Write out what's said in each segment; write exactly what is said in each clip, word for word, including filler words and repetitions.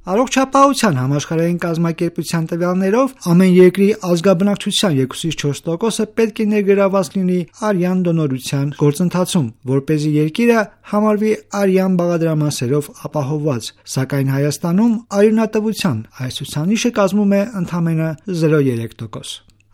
Առողջապահության համաշխարհային կազմակերպության տվյալներով ամեն երկրի ազգաբնակչության երկուսից չորս տոկոսը պետք է ներգրավված լինի արյան դոնորության գործընթացում, որպեսզի երկիրը համարվի արյան բաղադրամասերով ապահովված, սակայն Հայաստանում արյունատվության այս ցուցանիշը կազմում է ընդամենը զրո կoma երեք տոկոս։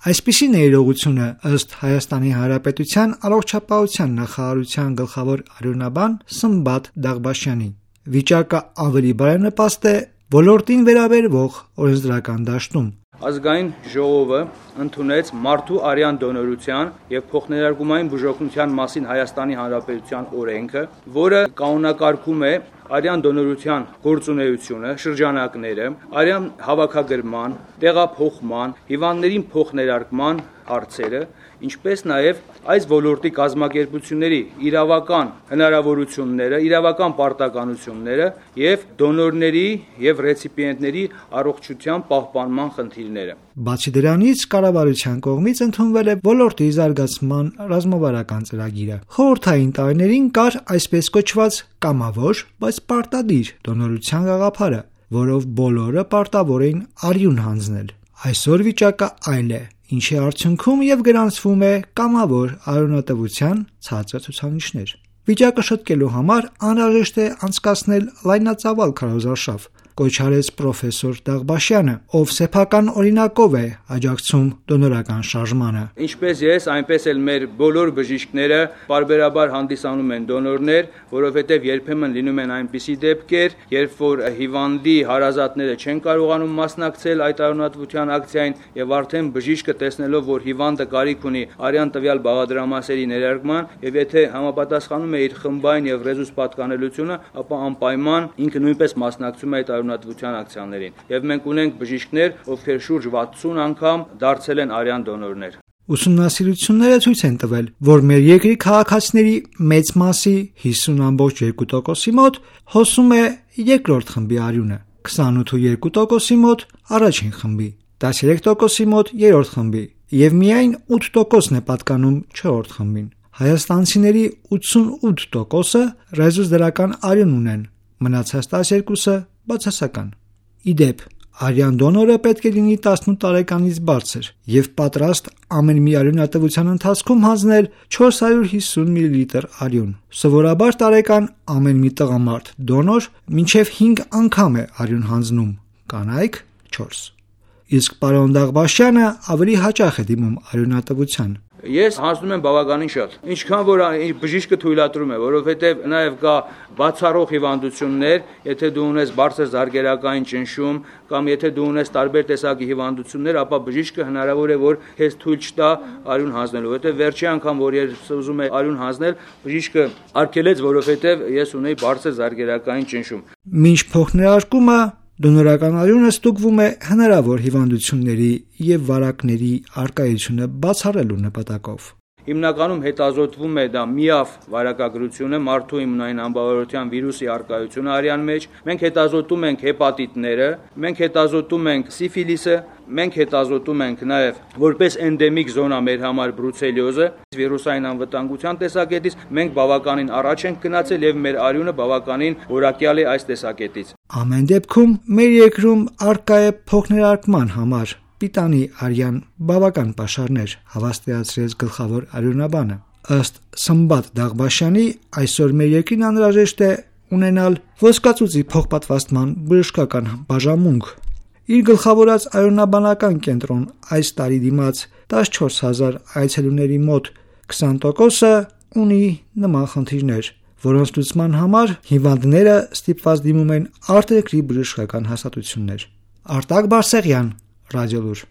Այսպիսի ներողությունը ըստ Հայաստանի Հանրապետության առողջապահության նախարարության գլխավոր արյունաբան Սմբատ Դաղբաշյանի։ Վիճակը ավելի բարենպաստ է ոլորտին վերաբերվող օրենսդրական դաշտում։ Ազգային ժողովը ընդունեց մարդու արյան դոնորության եւ փոխներարկումային բուժօգնության մասին Հայաստանի Հանրապետության օրենքը, որը կանոնակարգում է արյան դոնորության գործունեությունը, շրջանակները, արյան հավաքագրման, տեղափոխման, հիվանդներին փոխներարկման հարցերը, ինչպես նաև այս ոլորտի կազմակերպությունների իրավական հնարավորությունները, իրավական պարտականությունները եւ դոնորների եւ ռեցիպիենտների առողջության պահպանման խնդիրները։ Բացի դրանից, կառավարության կողմից ընդունվել է ոլորտի զարգացման ռազմավարական ծրագիրը։ Խորհրդային տարիներին կար այսպես կոչված կամավոր, բայց պարտադիր դոնորության գաղափարը, որով բոլորը պարտավոր էին արյուն հանձնել։ Այսօր վիճակը այլ է, ինչի արդյունքում եւ գրանցվում է կամավոր արյունատվության ցածր ցուցանիշներ։ Վիճակը շտկելու համար անհրաժեշտ է անցկացնել լայնածավալ քարոզարշավ, կոչ արեց պրոֆեսոր Դաղբաշյանը, ով սեփական օրինակով է աջակցում դոնորական շարժմանը։ Ինչպես ես, այնպես էլ մեր բոլոր բժիշկները բարբերաբար հանդիսանում են դոնորներ, որովհետև երբեմն լինում են այնպիսի դեպքեր, երբ որ հիվանդի հարազատները չեն կարողանում մասնակցել այդ արյունատվության ակցիային եւ արդեն բժիշկը տեսնելով, որ հիվանդը կարիք ունի արյան տվյալ բաղադրամասերի ներարկման եւ եթե համապատասխանում է իր խմբային եւ ռեզուս պատկանելությունը, ապա անպայման ինքը նույնպես մասնակցում է այդ արյունատվության ակցիաներին։ Եվ մենք ունենք բժիշկներ, ովքեր շուրջ վաթսուն անգամ դարձել են արյան դոնորներ։ Ուսումնասիրությունները ցույց են տվել, որ մեր երկրի քաղաքացիների մեծ մասի հիսուն ամբողջ երկու տոկոսի մոտ հոսում է երկրորդ խմբի արյունը, քսանութ ու երկու տոկոսի մոտ առաջին խմբի, տասներեք տոկոսի մոտ երրորդ խմբի եւ միայն ութ տոկոսն է պատկանում չորրորդ խմբին։ Հայաստանցիների ութսունութ տոկոսը ռեզուս դրական արյուն ունեն, մնացած տասներկուսը բացասական։ Իդեպ, արյան դոնորը պետք է լինի տասնութ տարեկանից բարձր եւ պատրաստ ամեն մի արյունատվության ընթացքում հանձնել չորս հարյուր հիսուն միլիլիտր արյուն։ Սովորաբար տարեկան ամեն մի տղամարդ դոնոր մինչեւ հինգ անգամ է արյուն հանձնում, կանայք չորս։ Իսկ պարոն Դաղբաշյանը ավելի հաճախ է դիմում արյունատվության։ Ես հանձնում եմ բավականին շատ, ինչքան որ բժիշկը թույլատրում է, որովհետև նաև կա բացառող հիվանդություններ, եթե դու ունես բարձր զարգերակային ճնշում կամ եթե դու ունես տարբեր տեսակի հիվանդություններ, ապա բժիշկը հնարավոր է որ քեզ թույլ չտա արյուն հանձնելու, որովհետև վերջի անգամ որ ես ուզում եմ արյուն հանձնել, բժիշկը արգելեց, որովհետև ես ունեի բարձր զարգերակային ճնշում։ Մինչ փոխներարկումը դոնորական արյունը ստուգվում է հնարավոր հիվանդությունների եւ վարակների արկայությունը բացառելու նպատակով։ Հիմնականում հետազոտվում է դա միավ վարակագրությունը, մարդու իմունային անբավարարության վիրուսի արկայությունը արյան մեջ, մենք հետազոտում ենք հեպատիտները, մենք հետազոտում ենք սիֆիլիսը, մենք հետազոտում ենք նաև որպես էնդեմիկ զոնա մեր համար բրուցելիոզը, վիրուսային անվտանգության տեսակետից մենք բավականին առաջ ենք գնացել եւ մեր արյունը բավականին որակյալ է այս տեսակետից։ Ամեն դեպքում մեր երկրում արկա է փոխներարկման համար պիտանի արյան բավական պաշարներ, հավաստիացրեց գլխավոր արյունաբանը։ Ըստ Սմբատ Դաղբաշյանի, այսօր մեր երկրին անհրաժեշտ է ունենալ ոսկածուծի փոխպատվաստման բժշկական բաժանմունք։ Իր գլխավորած արյունաբանական կենտրոն այս տարի դիմաց տասնչորս հազար այցելուների մոտ քսան տոկոսը ունի նման խնդիրներ, որոնց լուծման համար հիվանդները ստիպված դիմում են արտերկրի բժշկական հաստատություններ։ Արտակ Բարսեղյան, Ռադիոլուր։